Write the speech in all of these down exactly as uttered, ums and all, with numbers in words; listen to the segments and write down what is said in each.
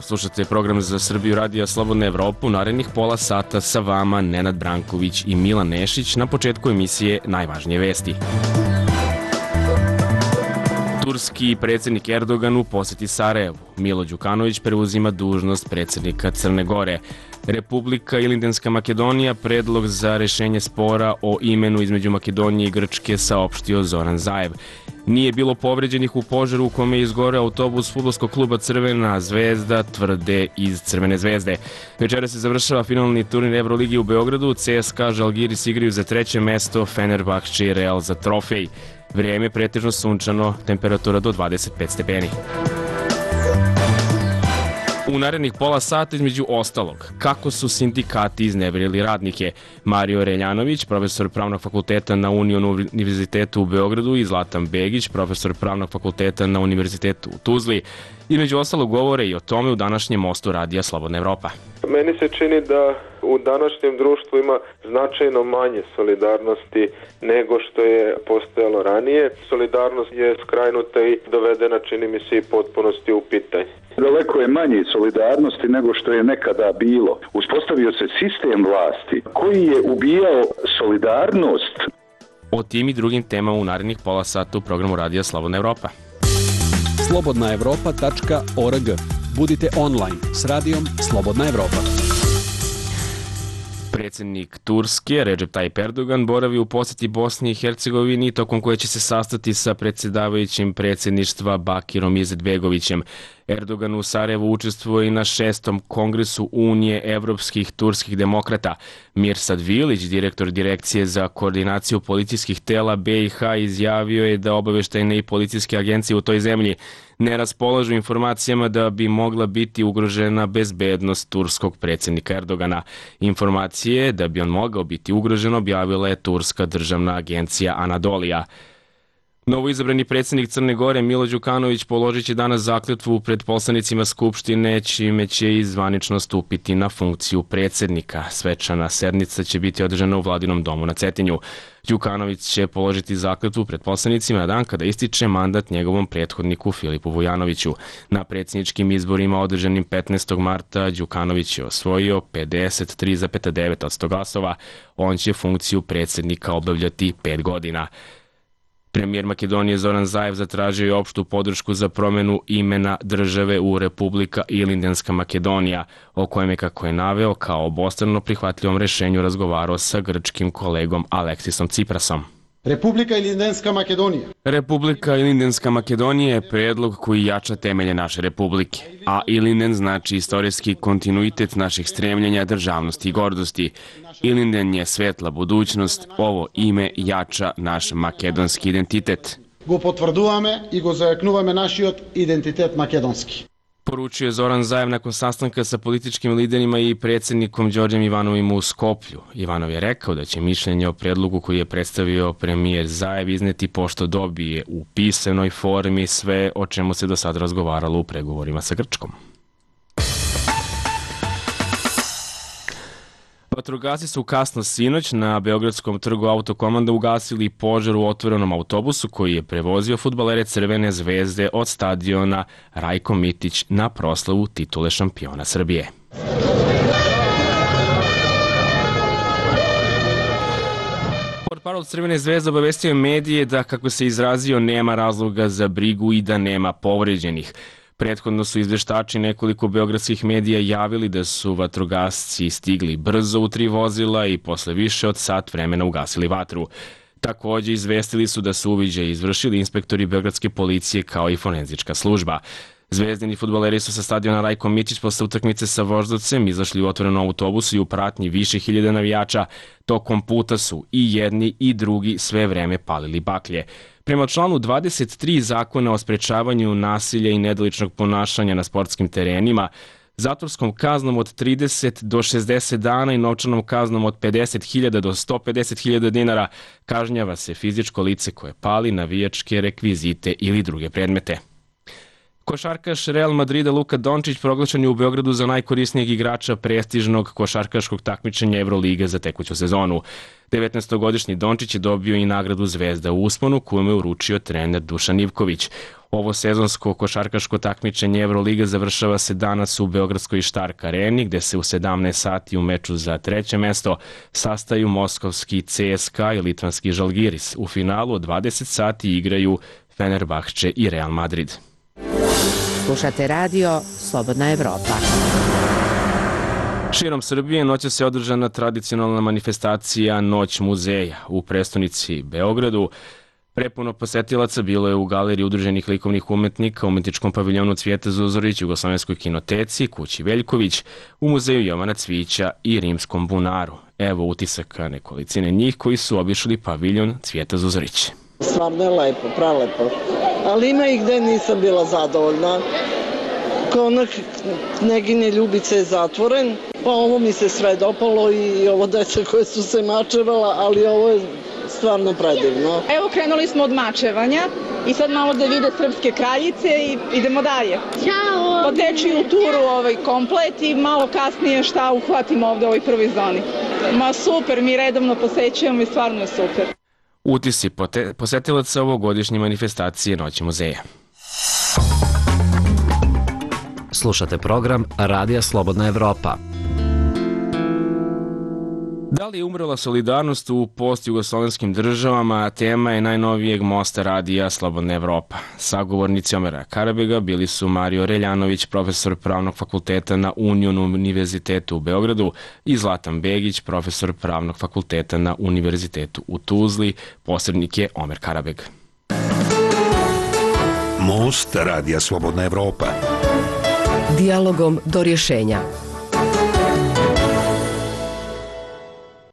slušate program za Srbiju Radija Slobodna Evropa. U narednih pola sata sa vama Nenad Branković i Milan Nešić. Na početku emisije najvažnije vesti. Turski predsjednik Erdogan u posjeti Sarajevu. Milo Đukanović preuzima dužnost predsjednika Crne Gore. Republika Ilindenska Makedonija predlog za rešenje spora o imenu između Makedonije i Grčke saopštio Zoran Zaev. Nije bilo povređenih u požaru u kome je izgoreo autobus fudbalskog kluba Crvena zvezda, tvrde iz Crvene zvezde. Večera se završava finalni turnir Evroligi u Beogradu. C S K A Žalgiris igraju za treće mesto, Fenerbahče i Real za trofej. Vrijeme je pretežno sunčano, temperatura do dvadeset pet stepeni. U narednih pola sata između ostalog, kako su sindikati izneverili radnike. Mario Reljanović, profesor pravnog fakulteta na Union univerzitetu u Beogradu, i Zlatan Begić, profesor pravnog fakulteta na Univerzitetu u Tuzli. Između ostalog govore i o tome u današnjem mostu Radija Slobodna Evropa. Meni se čini da u današnjem društvu ima značajno manje solidarnosti nego što je postojalo ranije. Solidarnost je skrajnuta i dovedena, čini mi se, i potpunosti u pitanje. Daleko je manje solidarnosti nego što je nekada bilo. Uspostavio se sistem vlasti koji je ubijao solidarnost. O tim i drugim temama u narednih pola sata u programu Radija Slobodna Evropa. slobodna evropa tačka org. Budite online s radijom Slobodna Evropa. Predsjednik Turske, Recep Tayyip Erdogan, boravi u posjeti Bosni i Hercegovini, tokom koje će se sastati sa predsjedavajućim predsjedništva Bakirom Izetbegovićem. Erdogan u Sarajevu učestvuje i na šestom kongresu Unije evropskih turskih demokrata. Mirsad Vilić, direktor Direkcije za koordinaciju policijskih tela B i H, izjavio je da obaveštajne i policijske agencije u toj zemlji ne raspolažu informacijama da bi mogla biti ugrožena bezbednost turskog predsjednika Erdogana. Informacije da bi on mogao biti ugrožen objavila je turska državna agencija Anadolija. Novoizabrani predsjednik Crne Gore Milo Đukanović položit će danas zakletvu pred poslanicima Skupštine, čime će i zvanično stupiti na funkciju predsjednika. Svečana sednica će biti održana u Vladinom domu na Cetinju. Đukanović će položiti zakletvu pred poslanicima na dan kada ističe mandat njegovom prethodniku Filipu Vujanoviću. Na predsjedničkim izborima održanim petnaestog marta Đukanović je osvojio pedeset tri zarez devet posto glasova. On će funkciju predsjednika obavljati pet godina. Premijer Makedonije Zoran Zaev zatražio je opštu podršku za promjenu imena države u Republika Ilindenska Makedonija, o kojem je, kako je naveo, kao obostrano prihvatljivom rešenju razgovarao sa grčkim kolegom Aleksisom Tsiprasom. Republika Ilindenska Makedonija. Republika Ilindenska Makedonija je predlog koji jača temelje naše republike, a Ilinden znači istorijski kontinuitet naših stremljenja, državnosti i gordosti. Ilinden je svetla budućnost, ovo ime jača naš makedonski identitet. Го потврдуваме и го зајакнуваме нашиот идентитет македонски. Poručio je Zoran Zaev nakon sastanka sa političkim liderima i predsjednikom Đorđem Ivanovim u Skoplju. Ivanov je rekao da će mišljenje o predlogu koji je predstavio premijer Zaev izneti pošto dobije u pisanoj formi sve o čemu se do sad razgovaralo u pregovorima sa Grčkom. Vatrogasci su kasno sinoć na Beogradskom trgu Autokomanda ugasili požar u otvorenom autobusu koji je prevozio fudbalere Crvene zvezde od stadiona Rajko Mitić na proslavu titule šampiona Srbije. Portparol Crvene zvezde obavestio je medije da, kako se izrazio, nema razloga za brigu i da nema povređenih. Prethodno su izveštači nekoliko beogradskih medija javili da su vatrogasci stigli brzo u tri vozila i posle više od sat vremena ugasili vatru. Također izvestili su da su uviđaj izvršili inspektori beogradske policije kao i forenzička služba. Zvezdini fudbaleri su sa stadiona Rajko Mitić posle utakmice sa Voždovcem izašli u otvorenom autobusu i u pratnji više hiljada navijača. Tokom puta su i jedni i drugi sve vreme palili baklje. Prema članu dvadeset tri Zakona o sprečavanju nasilja i nedoličnog ponašanja na sportskim terenima, zatvorskom kaznom od trideset do šezdeset dana i novčanom kaznom od pedeset hiljada do sto pedeset hiljada dinara kažnjava se fizičko lice koje pali navijačke rekvizite ili druge predmete. Košarkaš Real Madrida Luka Dončić proglašen je u Beogradu za najkorisnijeg igrača prestižnog košarkaškog takmičenja Evrolige za tekuću sezonu. devetnaestogodišnji Dončić je dobio i nagradu Zvezda u usponu koju mu je uručio trener Dušan Ivković. Ovo sezonsko košarkaško takmičenje Evroliga završava se danas u Beogradskoj Štark areni, gde se u sedamnaest sati u meču za treće mesto sastaju moskovski C S K A i litvanski Žalgiris. U finalu od dvadeset sati igraju Fenerbahče i Real Madrid. Slušate radio Slobodna Evropa. Širom Srbije noćas se održana tradicionalna manifestacija Noć muzeja u prestonici Beogradu. Prepuno posetilaca bilo je u galeriji udruženih likovnih umetnika, umetničkom paviljonu Cvijeta Zuzorić, Jugoslovenskoj kinoteci, kući Veljković, u muzeju Jovana Cvijića i Rimskom bunaru. Evo utisaka nekolicine njih koji su obišli paviljon Cvijeta Zuzorić. Stvarno je lepo, pralepo. Ali ima i gde nisam bila zadovoljna. Konak Kneginje Ljubice je zatvoren, pa ovo mi se sve dopalo i ovo deca koje su se mačevala, ali ovo je stvarno predivno. Evo krenuli smo od mačevanja i sad malo da vide srpske kraljice i idemo dalje. Ćao! Poteći u turu ovaj komplet i malo kasnije šta uhvatimo ovde u ovoj prvoj zoni. Ma super, mi redovno posećujemo i stvarno je super. Utisci posetilaca ovogodišnje manifestacije Noći muzeja. Slušate program Radija Slobodna Evropa. Da li je umrla solidarnost u post-jugoslovenskim državama, tema je najnovijeg mosta Radija Slobodna Evropa. Sagovornici Omera Karabega bili su Mario Reljanović, profesor Pravnog fakulteta na Union univerzitetu u Beogradu, i Zlatan Begić, profesor Pravnog fakulteta na Univerzitetu u Tuzli. Posrednik je Omer Karabeg. Most Radija Slobodna Evropa. Dijalogom do rješenja.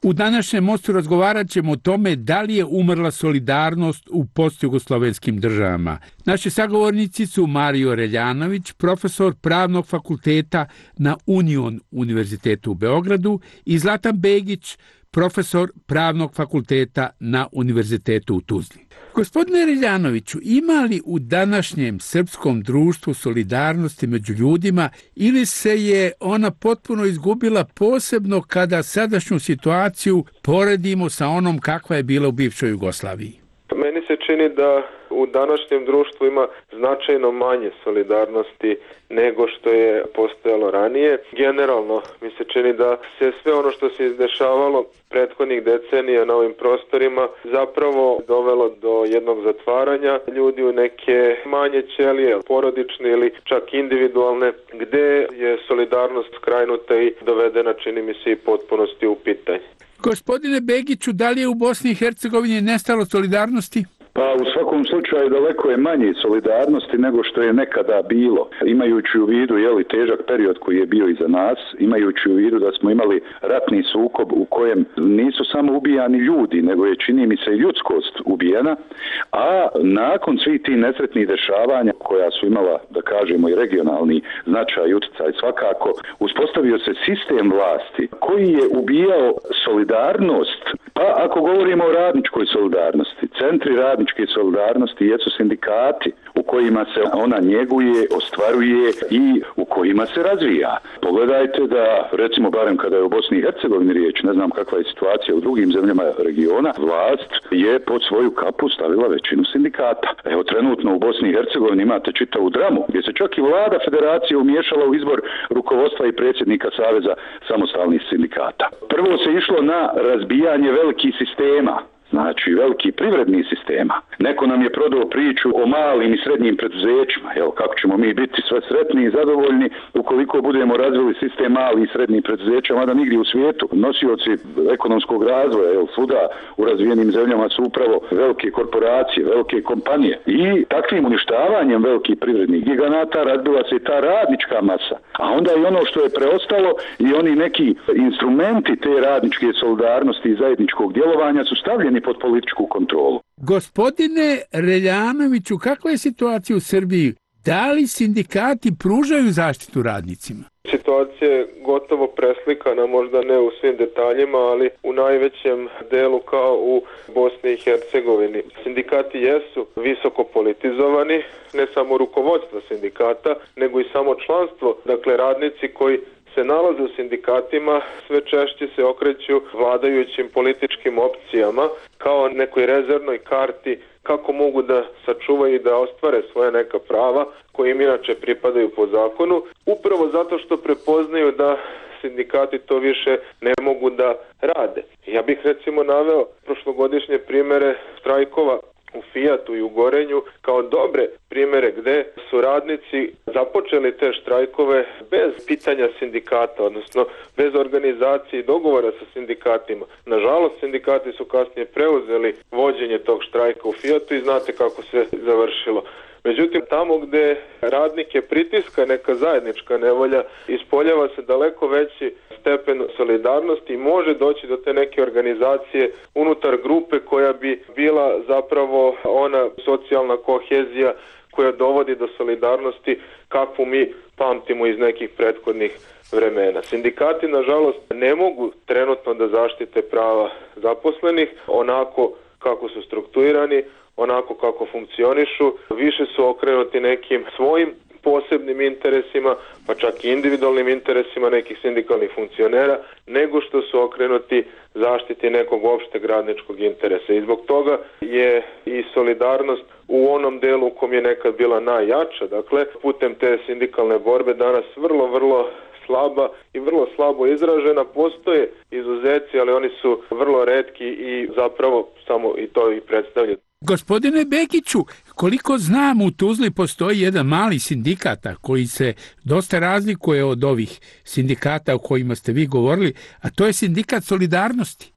U današnjem mostu razgovarat ćemo o tome da li je umrla solidarnost u postjugoslovenskim državama. Naši sagovornici su Mario Reljanović, profesor Pravnog fakulteta na Union univerzitetu u Beogradu, i Zlatan Begić, profesor Pravnog fakulteta na Univerzitetu u Tuzli. Gospodine Reljanoviću, ima li u današnjem srpskom društvu solidarnosti među ljudima ili se je ona potpuno izgubila, posebno kada sadašnju situaciju poredimo sa onom kakva je bila u bivšoj Jugoslaviji? Meni se čini da u današnjem društvu ima značajno manje solidarnosti nego što je postojalo ranije. Generalno mi se čini da se sve ono što se izdešavalo prethodnih decenija na ovim prostorima zapravo dovelo do jednog zatvaranja ljudi u neke manje ćelije, porodične ili čak individualne, gde je solidarnost skrajnuta i dovedena, čini mi se, i potpunosti u pitanje. Gospodine Begiću, da li je u Bosni i Hercegovini nestalo solidarnosti? Pa u svakom slučaju daleko je manje solidarnosti nego što je nekada bilo. Imajući u vidu jeli, težak period koji je bio iza nas, imajući u vidu da smo imali ratni sukob u kojem nisu samo ubijani ljudi, nego je, čini mi se, ljudskost ubijena, a nakon svih tih nesretnih dešavanja koja su imala, da kažemo, i regionalni značaj i utjecaj svakako, uspostavio se sistem vlasti koji je ubijao solidarnost. Pa ako govorimo o radničkoj solidarnosti, centri radničke solidarnosti jesu sindikati u kojima se ona njeguje, ostvaruje i u kojima se razvija. Pogledajte da, recimo, barem kada je u Bosni i Hercegovini riječ, ne znam kakva je situacija u drugim zemljama regiona, vlast je pod svoju kapu stavila većinu sindikata. Evo, trenutno u Bosni i Hercegovini imate čitavu dramu, gdje se čak i vlada federacije umiješala u izbor rukovodstva i predsjednika Saveza samostalnih sindikata. Prvo se išlo na razbijanje velikih sistema, znači veliki privrednih sistema. Neko nam je prodao priču o malim i srednjim preduzećima, jel, kako ćemo mi biti sve sretni i zadovoljni ukoliko budemo razvili sistem malih i srednjih preduzeća, mada nigdje u svijetu nosioci ekonomskog razvoja, jel, svuda u razvijenim zemljama su upravo velike korporacije, velike kompanije. I takvim uništavanjem velikih privrednih giganata razbila se i ta radnička masa. A onda i ono što je preostalo i oni neki instrumenti te radničke solidarnosti i zajedničkog djelovanja su stavljeni pod političku kontrolu. Gospodine Reljanoviću, kakva je situacija u Srbiji? Da li sindikati pružaju zaštitu radnicima? Situacija je gotovo preslikana, možda ne u svim detaljima, ali u najvećem delu kao u Bosni i Hercegovini. Sindikati jesu visoko politizovani, ne samo rukovodstvo sindikata, nego i samo članstvo. Dakle, radnici koji se nalaze u sindikatima sve češće se okreću vladajućim političkim opcijama kao nekoj rezervnoj karti kako mogu da sačuvaju i da ostvare svoje neka prava koje im inače pripadaju po zakonu, upravo zato što prepoznaju da sindikati to više ne mogu da rade. Ja bih recimo naveo prošlogodišnje primere štrajkova u Fijatu i u Gorenju kao dobre primere gde su radnici započeli te štrajkove bez pitanja sindikata, odnosno bez organizacije i dogovora sa sindikatima. Nažalost, sindikati su kasnije preuzeli vođenje tog štrajka u Fijatu i znate kako se završilo. Međutim, tamo gde radnike pritiska neka zajednička nevolja, ispoljava se daleko veći stepen solidarnosti i može doći do te neke organizacije unutar grupe koja bi bila zapravo ona socijalna kohezija koja dovodi do solidarnosti kakvu mi pamtimo iz nekih prethodnih vremena. Sindikati, nažalost, ne mogu trenutno da zaštite prava zaposlenih onako kako su strukturirani, onako kako funkcionišu, više su okrenuti nekim svojim posebnim interesima, pa čak i individualnim interesima nekih sindikalnih funkcionera, nego što su okrenuti zaštiti nekog opšteg radničkog interesa. I zbog toga je i solidarnost u onom delu u kom je nekad bila najjača, dakle, putem te sindikalne borbe danas vrlo, vrlo slaba i vrlo slabo izražena. Postoje izuzeci, ali oni su vrlo retki i zapravo samo i to i predstavljaju. Gospodine Bekiću, koliko znam, u Tuzli postoji jedan mali sindikata koji se dosta razlikuje od ovih sindikata o kojima ste vi govorili, a to je sindikat Solidarnosti.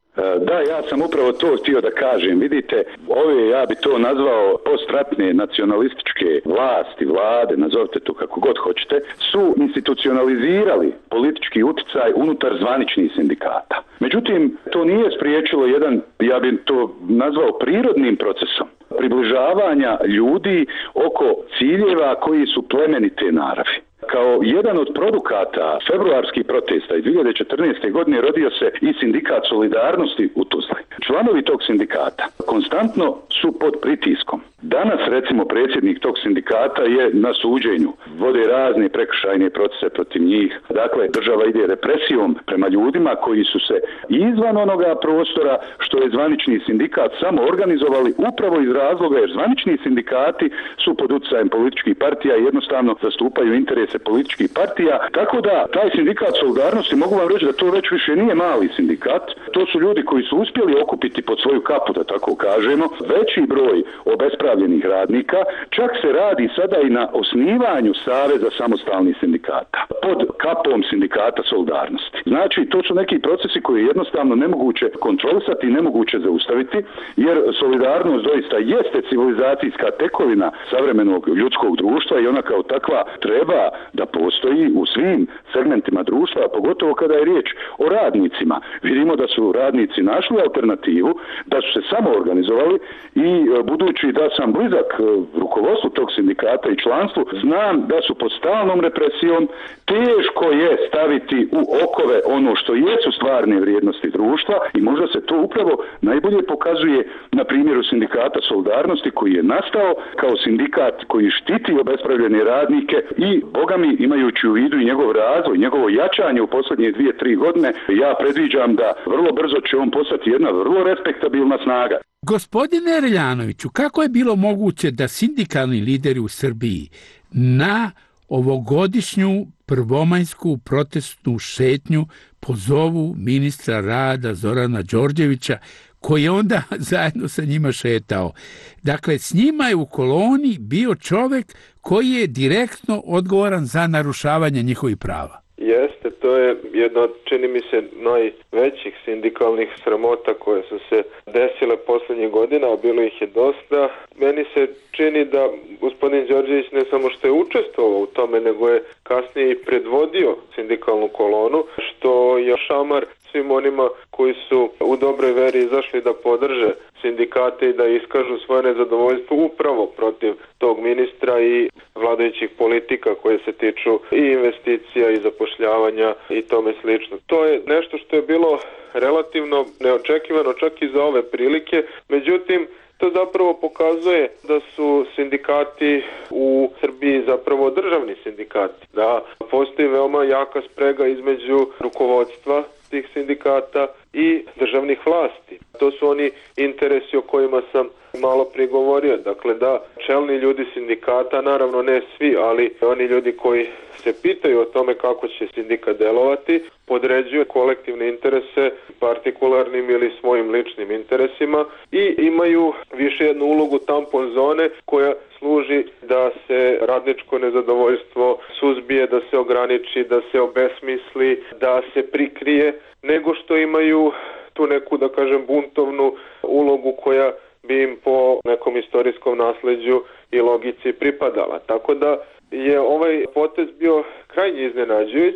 Da, ja sam upravo to htio da kažem. Vidite, ove, ja bi to nazvao postratne nacionalističke vlasti, vlade, nazovite to kako god hoćete, su institucionalizirali politički uticaj unutar zvaničnih sindikata. Međutim, to nije spriječilo jedan, ja bih to nazvao prirodnim procesom približavanja ljudi oko ciljeva koji su plemenite naravi. Kao jedan od produkata februarskih protesta iz dvije hiljade četrnaeste. godine rodio se i sindikat Solidarnosti u Tuzli. Članovi tog sindikata konstantno su pod pritiskom. Danas, recimo, predsjednik tog sindikata je na suđenju. Vode razne prekršajne procese protiv njih. Dakle, država ide represijom prema ljudima koji su se izvan onoga prostora što je zvanični sindikat samo organizovali upravo iz razloga jer zvanični sindikati su pod utjecajem političkih partija i jednostavno zastupaju interese političkih partija. Tako da, taj sindikat Solidarnosti, mogu vam reći da to već više nije mali sindikat. To su ljudi koji su uspjeli okupiti pod svoju kapu, da tako kažemo, veći broj obespravljenih radnika. Čak se radi sada i na osnivanju Saveza samostalnih sindikata pod kapom sindikata Solidarnosti. Znači, to su neki procesi koji je jednostavno nemoguće kontrolisati i nemoguće zaustaviti, jer solidarnost doista jeste civilizacijska tekovina savremenog ljudskog društva i ona kao takva treba da postoji u svim segmentima društva, a pogotovo kada je riječ o radnicima. Vidimo da su radnici našli alternativu, da su se samo organizovali i budući da sam blizak rukovodstvu tog sindikata i članstvu, znam da su pod stalnom represijom, teško je staviti u okove ono što jesu stvarne vrijednosti društva i možda se to upravo najbolje pokazuje na primjeru sindikata Solidarnosti koji je nastao kao sindikat koji štiti obespravljene radnike i bogami imajući u vidu i njegov razvoj, njegovo jačanje u posljednje dvije, tri godine, ja predviđam da vrlo brzo će on postati jedna vrlo respektabilna snaga. Gospodine Reljanoviću, kako je bilo moguće da sindikalni lideri u Srbiji na ovogodišnju prvomajsku protestnu šetnju pozovu ministra rada Zorana Đorđevića, koji je onda zajedno sa njima šetao? Dakle, s njima je u koloni bio čovjek koji je direktno odgovoran za narušavanje njihovih prava. Jeste, to je jedna od, čini mi se, najvećih sindikalnih sramota koje su se desile posljednjih godina, a bilo ih je dosta. Meni se čini da gospodin Đorđević ne samo što je učestvovao u tome, nego je kasnije i predvodio sindikalnu kolonu, što je šamar svim onima koji su u dobroj veri izašli da podrže sindikate i da iskažu svoje nezadovoljstvo upravo protiv tog ministra i vladajućih politika koje se tiču i investicija i zapošljavanja i tome slično. To je nešto što je bilo relativno neočekivano čak i za ove prilike, međutim to zapravo pokazuje da su sindikati u Srbiji zapravo državni sindikati, da postoji veoma jaka sprega između rukovodstva tih sindikata i državnih vlasti. To su oni interesi o kojima sam malo prije govorio, dakle da čelni ljudi sindikata, naravno ne svi, ali oni ljudi koji se pitaju o tome kako će sindikat delovati, podređuju kolektivne interese partikularnim ili svojim ličnim interesima i imaju više jednu ulogu tampon zone koja služi da se radničko nezadovoljstvo suzbije, da se ograniči, da se obesmisli, da se prikrije, nego što imaju tu neku, da kažem, buntovnu ulogu koja bi im po nekom istorijskom nasleđu i logici pripadala. Tako da je ovaj potez bio krajnje iznenađujuć,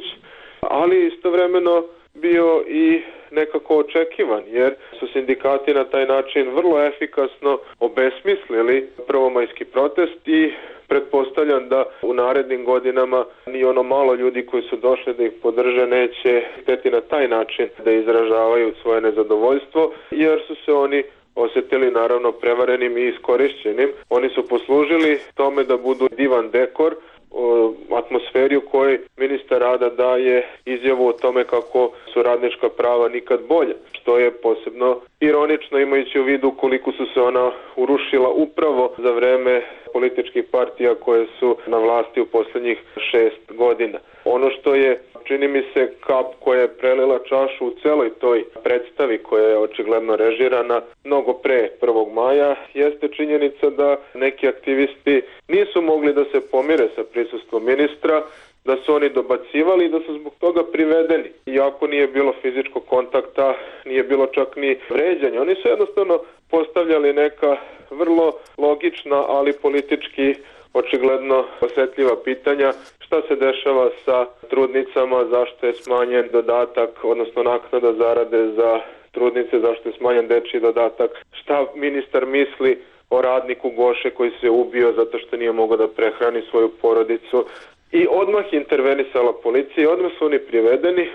ali istovremeno bio i nekako očekivan, jer su sindikati na taj način vrlo efikasno obesmislili prvomajski protest i pretpostavljam da u narednim godinama ni ono malo ljudi koji su došli da ih podrže neće hteti na taj način da izražavaju svoje nezadovoljstvo, jer su se oni osjetili naravno prevarenim i iskorišćenim. Oni su poslužili tome da budu divan dekor o atmosferi u kojoj ministar rada daje izjavu o tome kako su radnička prava nikad bolje, što je posebno ironično imajući u vidu koliko su se ona urušila upravo za vreme političkih partija koje su na vlasti u posljednjih šest godina. Ono što je, čini mi se, kap koja je prelila čašu u celoj toj predstavi koja je očigledno režirana mnogo pre prvog maja, jeste činjenica da neki aktivisti nisu mogli da se pomire sa prisustvom ministra, da su oni dobacivali i da su zbog toga privedeni. Iako nije bilo fizičkog kontakta, nije bilo čak ni vređanja. Oni su jednostavno postavljali neka vrlo logična, ali politički očigledno osjetljiva pitanja. Šta se dešava sa trudnicama, zašto je smanjen dodatak, odnosno naknada zarade za trudnice, zašto je smanjen dečji dodatak, šta ministar misli o radniku Goše koji se ubio zato što nije mogao da prehrani svoju porodicu. I odmah intervenisala policija i odmah su oni privedeni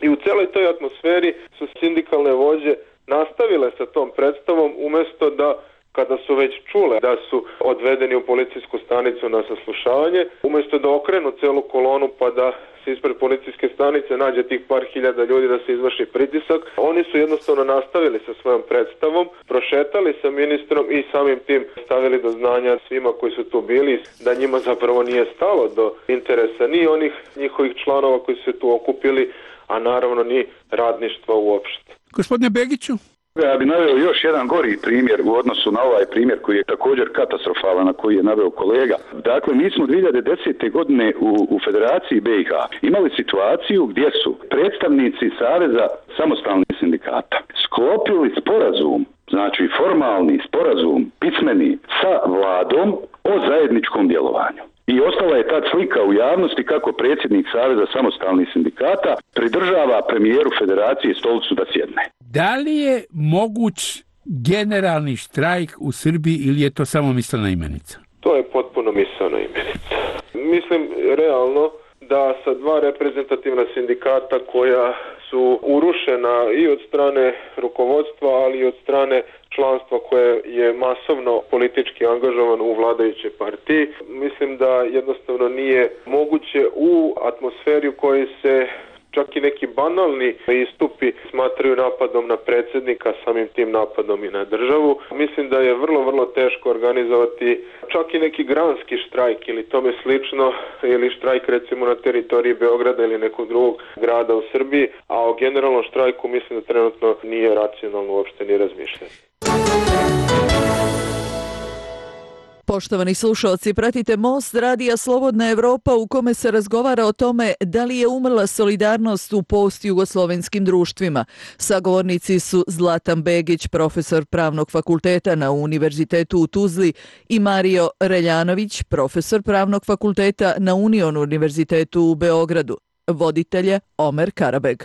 i u celoj toj atmosferi su sindikalne vođe nastavile sa tom predstavom umjesto da, kada su već čule da su odvedeni u policijsku stanicu na saslušavanje, umjesto da okrenu celu kolonu pa da se ispred policijske stanice nađe tih par hiljada ljudi da se izvrši pritisak, oni su jednostavno nastavili sa svojom predstavom, prošetali sa ministrom i samim tim stavili do znanja svima koji su tu bili da njima zapravo nije stalo do interesa ni onih njihovih članova koji su se tu okupili, a naravno ni radništva uopšte. Gospodine Begiću? Ja bih naveo još jedan gori primjer u odnosu na ovaj primjer koji je također katastrofalan, na koji je naveo kolega. Dakle, mi smo dvije hiljade desete. godine u, u Federaciji B i H imali situaciju gdje su predstavnici Saveza samostalnih sindikata sklopili sporazum, znači formalni sporazum, pismeni, sa vladom o zajedničkom djelovanju. I ostala je ta slika u javnosti kako predsjednik Saveza samostalnih sindikata pridržava premijeru Federacije stolicu da sjedne. Da li je moguć generalni štrajk u Srbiji ili je to samo mislena imenica? To je potpuno mislena imenica. Mislim realno da sa dva reprezentativna sindikata koja su urušena i od strane rukovodstva, ali i od strane članstva koje je masovno politički angažovano u vladajućoj partiji. Mislim da jednostavno nije moguće u atmosferi u kojoj se čak i neki banalni istupi smatraju napadom na predsjednika, samim tim napadom i na državu. Mislim da je vrlo, vrlo teško organizovati čak i neki granski štrajk ili tome slično, ili štrajk recimo na teritoriji Beograda ili nekog drugog grada u Srbiji, a o generalnom štrajku mislim da trenutno nije racionalno uopšte ni razmišljati. Poštovani slušalci, pratite Most Radija Slobodna Evropa u kome se razgovara o tome da li je umrla solidarnost u postjugoslovenskim društvima. Sagovornici su Zlatan Begić, profesor Pravnog fakulteta na Univerzitetu u Tuzli, i Mario Reljanović, profesor Pravnog fakulteta na Union Univerzitetu u Beogradu. Voditelj je Omer Karabeg.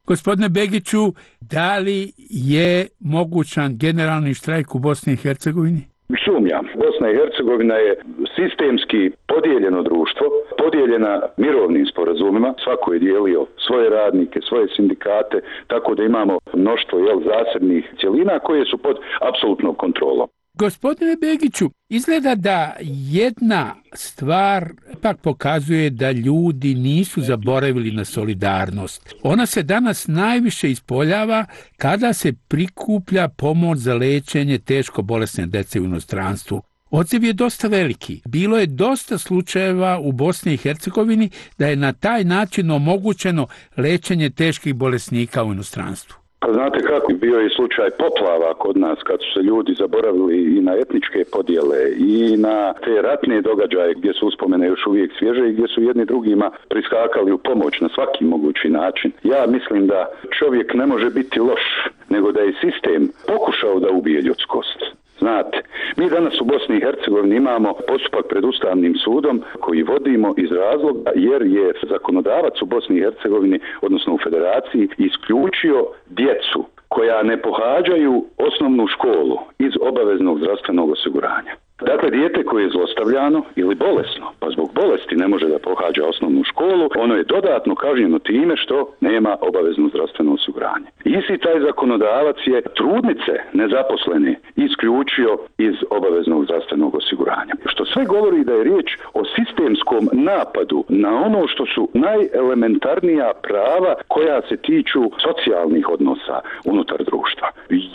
Gospodine Begiću, da li je mogućan generalni štrajk u Bosni i Hercegovini? Sumnjam. Bosna i Hercegovina je sistemski podijeljeno društvo, podijeljena mirovnim sporazumima, svako je dijelio svoje radnike, svoje sindikate, tako da imamo mnoštvo jel, zasebnih cjelina koje su pod apsolutnom kontrolom. Gospodine Begiću, izgleda da jedna stvar pak pokazuje da ljudi nisu zaboravili na solidarnost. Ona se danas najviše ispoljava kada se prikuplja pomoć za lečenje teško bolesne dece u inostranstvu. Odziv je dosta veliki. Bilo je dosta slučajeva u Bosni i Hercegovini da je na taj način omogućeno lečenje teških bolesnika u inostranstvu. Pa znate kako, bio je slučaj poplava kod nas kad su se ljudi zaboravili i na etničke podjele i na te ratne događaje gdje su uspomene još uvijek svježe i gdje su jedni drugima priskakali u pomoć na svaki mogući način. Ja mislim da čovjek ne može biti loš, nego da je sistem pokušao da ubije ljudskost. Znate, mi danas u Bosni i Hercegovini imamo postupak pred Ustavnim sudom koji vodimo iz razloga jer je zakonodavac u Bosni i Hercegovini, odnosno u Federaciji, isključio djecu koja ne pohađaju osnovnu školu iz obaveznog zdravstvenog osiguranja. Dakle, dijete koje je zlostavljano ili bolesno, pa zbog bolesti ne može da pohađa osnovnu školu, ono je dodatno kažnjeno time što nema obavezno zdravstveno osiguranje. Isti taj zakonodavac je trudnice nezaposlene isključio iz obaveznog zdravstvenog osiguranja. Što sve govori da je riječ o sistemskom napadu na ono što su najelementarnija prava koja se tiču socijalnih odnosa unutar društva.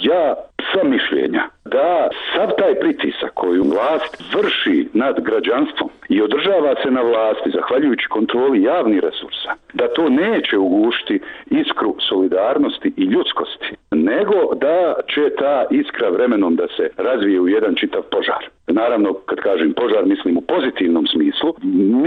Ja sam mišljenja da sav taj pritisak koju vlast vrši nad građanstvom i održava se na vlasti zahvaljujući kontroli javnih resursa, da to neće ugušiti iskru solidarnosti i ljudskosti, nego da će ta iskra vremenom da se razvije u jedan čitav požar. Naravno, kad kažem požar, mislim u pozitivnom smislu.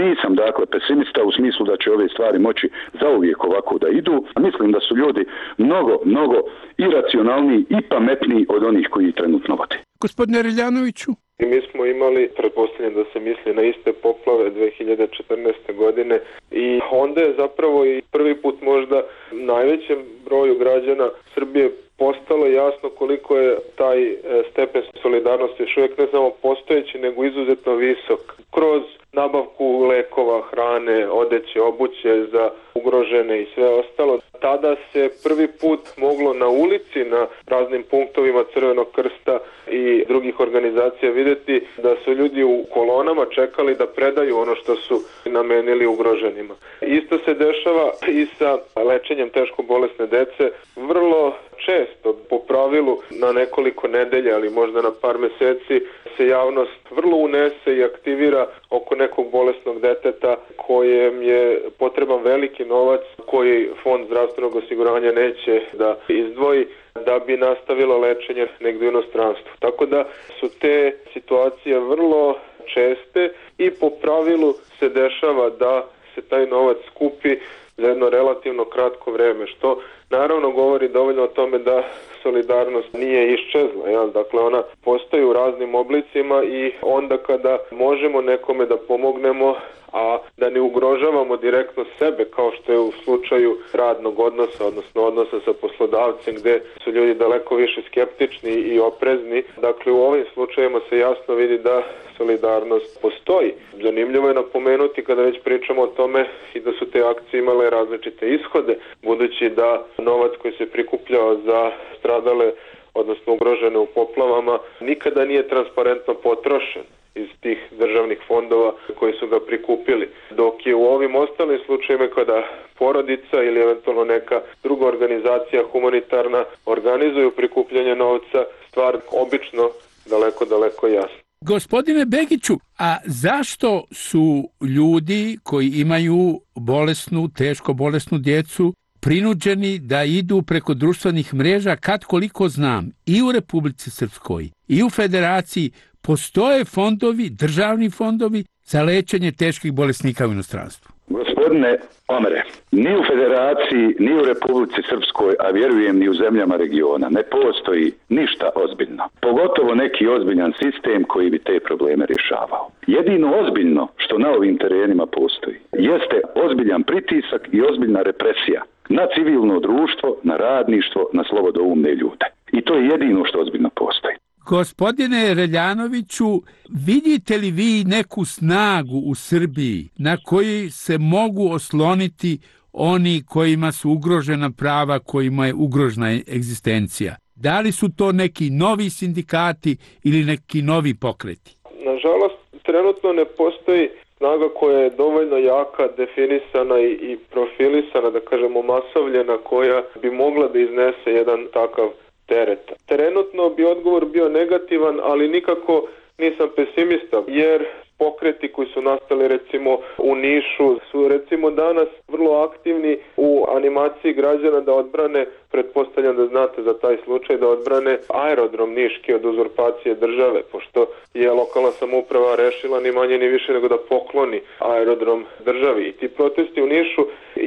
Nisam dakle pesimista u smislu da će ove stvari moći zauvijek ovako da idu. Mislim da su ljudi mnogo, mnogo iracionalniji i pametniji od onih koji trenutno vode. Gospodine Reljanoviću? I mi smo imali, pretpostavljam da se misli na iste poplave dve hiljade četrnaeste. godine i onda je zapravo i prvi put možda najvećem broju građana Srbije postalo jasno koliko je taj stepen solidarnosti još uvijek ne samo postojeći, nego izuzetno visok. Kroz nabavku lekova, hrane, odeće, obuće za ugrožene i sve ostalo. Tada se prvi put moglo na ulici, na raznim punktovima Crvenog krsta i drugih organizacija vidjeti da su ljudi u kolonama čekali da predaju ono što su namenili ugroženima. Isto se dešava i sa lečenjem teško bolesne dece. Vrlo često, po pravilu na nekoliko nedelja, ali možda na par mjeseci, se javnost vrlo unese i aktivira oko nekog bolesnog deteta kojem je potreban veliki novac koji Fond zdravstvenog osiguranja neće da izdvoji da bi nastavilo lečenje negdje u inostranstvu. Tako da su te situacije vrlo česte i po pravilu se dešava da se taj novac skupi za jedno relativno kratko vrijeme, što naravno govori dovoljno o tome da solidarnost nije iščezla. Jel? Dakle, ona postoji u raznim oblicima i onda kada možemo nekome da pomognemo, a da ne ugrožavamo direktno sebe, kao što je u slučaju radnog odnosa, odnosno odnosa sa poslodavcem, gdje su ljudi daleko više skeptični i oprezni. Dakle, u ovim slučajevima se jasno vidi da solidarnost postoji. Zanimljivo je napomenuti kada već pričamo o tome i da su te akcije imale različite ishode, budući da novac koji se prikupljao za stradale, odnosno ugrožene u poplavama, nikada nije transparentno potrošen iz tih državnih fondova koji su ga prikupili. Dok je u ovim ostalim slučajevima kada porodica ili eventualno neka druga organizacija humanitarna organizuju prikupljanje novca, stvar obično daleko, daleko jasna. Gospodine Begiću, a zašto su ljudi koji imaju bolesnu, teško bolesnu djecu prinuđeni da idu preko društvenih mreža, kad koliko znam, i u Republici Srpskoj i u Federaciji postoje fondovi, državni fondovi za lečenje teških bolesnika u inostranstvu? Gospodine Omere, ni u Federaciji, ni u Republici Srpskoj, a vjerujem ni u zemljama regiona, ne postoji ništa ozbiljno. Pogotovo neki ozbiljan sistem koji bi te probleme rješavao. Jedino ozbiljno što na ovim terenima postoji jeste ozbiljan pritisak i ozbiljna represija na civilno društvo, na radništvo, na slobodoumne ljude. I to je jedino što ozbiljno postoji. Gospodine Reljanoviću, vidite li vi neku snagu u Srbiji na koji se mogu osloniti oni kojima su ugrožena prava, kojima je ugrožena egzistencija? Da li su to neki novi sindikati ili neki novi pokreti? Nažalost, trenutno ne postoji snaga koja je dovoljno jaka, definisana i, i profilisana, da kažemo masovljena, koja bi mogla da iznese jedan takav teret. Trenutno bi odgovor bio negativan, ali nikako nisam pesimista, jer pokreti koji su nastali recimo u Nišu su recimo danas vrlo aktivni u animaciji građana da odbrane, pretpostavljam da znate za taj slučaj, da odbrane aerodrom Niški od uzurpacije države, pošto je lokalna samouprava rešila ni manje ni više nego da pokloni aerodrom državi. I ti protesti u Nišu,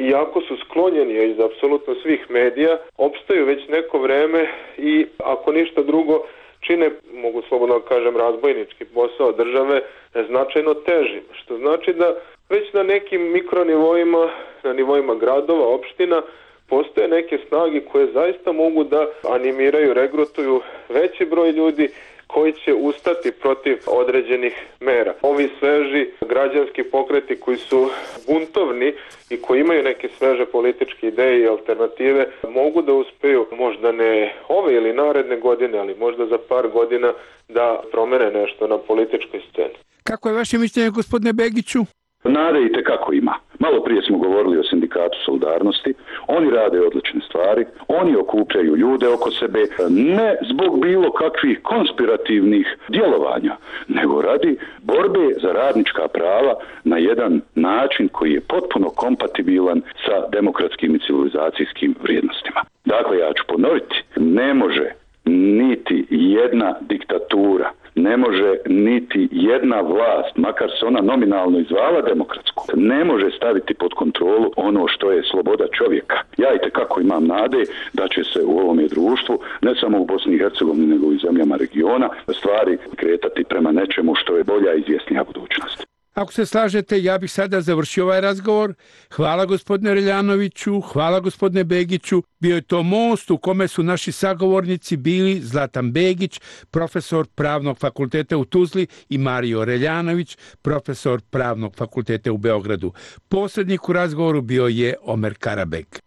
iako su sklonjeni iz apsolutno svih medija, opstaju već neko vreme i ako ništa drugo čine, mogu slobodno da kažem, razbojnički posao države značajno težim, što znači da već na nekim mikronivoima, na nivoima gradova, opština, postoje neke snage koje zaista mogu da animiraju, regrutuju veći broj ljudi koji će ustati protiv određenih mera. Ovi sveži građanski pokreti koji su buntovni i koji imaju neke sveže političke ideje i alternative mogu da uspeju, možda ne ove ili naredne godine, ali možda za par godina da promene nešto na političkoj sceni. Kako je vaše mišljenje, gospodine Begiću? Nade i tekako ima. Malo prije smo govorili o sindikatu Solidarnosti. Oni rade odlične stvari. Oni okupljaju ljude oko sebe ne zbog bilo kakvih konspirativnih djelovanja, nego radi borbe za radnička prava na jedan način koji je potpuno kompatibilan sa demokratskim i civilizacijskim vrijednostima. Dakle, ja ću ponoviti, ne može niti jedna diktatura, ne može niti jedna vlast, makar se ona nominalno izvala demokratsku, ne može staviti pod kontrolu ono što je sloboda čovjeka. Ja i tekako imam nade da će se u ovome društvu, ne samo u Bosni i Hercegovini, nego i u zemljama regiona, stvari kretati prema nečemu što je bolja i izvjesnija budućnost. Ako se slažete, ja bih sada završio ovaj razgovor. Hvala gospodine Reljanoviću, hvala gospodine Begiću. Bio je to most u kome su naši sagovornici bili Zlatan Begić, profesor Pravnog fakulteta u Tuzli, i Mario Reljanović, profesor Pravnog fakulteta u Beogradu. Posrednik u razgovoru bio je Omer Karabek.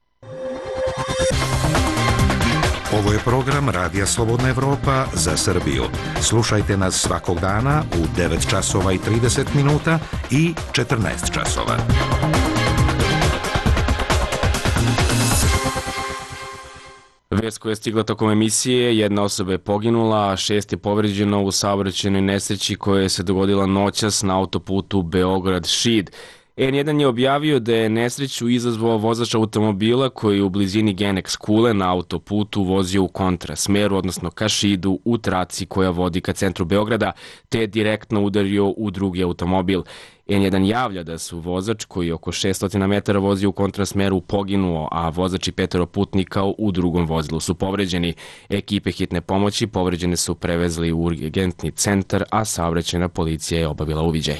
Ovo je program Radija Slobodna Evropa za Srbiju. Slušajte nas svakog dana u devet časova i trideset minuta i četrnaest časova. Vest koja je stigla tokom emisije, jedna osoba je poginula, a šest je povređeno u saobraćajnoj nesreći koja se dogodila noćas na autoputu Beograd-Šid. en jedan je objavio da je nesreću izazvao vozač automobila koji je u blizini Genex kule na autoputu vozio u kontrasmeru, odnosno ka Šidu, u traci koja vodi ka centru Beograda, te je direktno udario u drugi automobil. en jedan javlja da su vozač koji je oko šessto metara vozio u kontrasmeru poginuo, a vozač i petero putnika u drugom vozilu su povređeni. Ekipe hitne pomoći povređene su prevezli u urgentni centar, a saobraćajna policija je obavila uviđaj.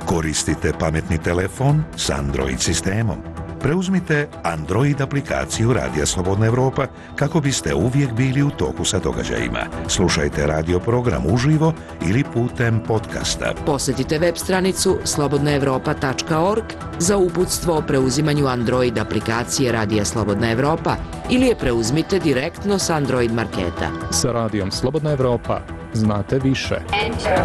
Koristite pametni telefon s Android sistemom. Preuzmite Android aplikaciju Radija Slobodna Evropa kako biste uvijek bili u toku sa događajima. Slušajte radio program uživo ili putem podcasta. Posjetite web stranicu slobodna evropa tačka org za uputstvo o preuzimanju Android aplikacije Radija Slobodna Evropa ili je preuzmite direktno s Android marketa. Sa Radijom Slobodna Evropa znate više. Enter.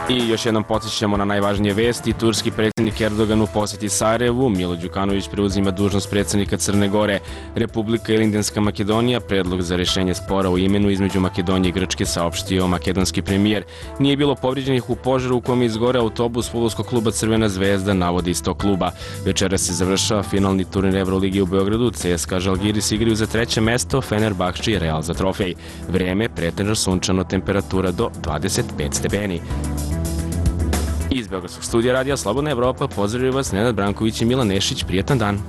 I još jednom podsjećamo na najvažnije vesti. Turski predsjednik Erdogan u posjeti Sarajevu, Milo Đukanović preuzima dužnost predsjednika Crne Gore. Republika ili Indijska Makedonija predlog za rješenje spora o imenu između Makedonije i Grčke saopštio makedonski premijer. Nije bilo povrijeđenih u požaru u kom je izgoreo autobus fudbalskog kluba Crvena zvezda, navodi iz tog kluba. Večera se završava finalni turnir Evrolige u Beogradu. C S K A Žalgiris igraju za treće mesto, Fenerbahče i Real za trofej. Vreme pretežno sunčano, temperatura do dvadeset pet stepeni. Iz Beogradskog studija Radija Slobodna Evropa pozdravljaju vas Nenad Branković i Milan Nešić. Prijetan dan.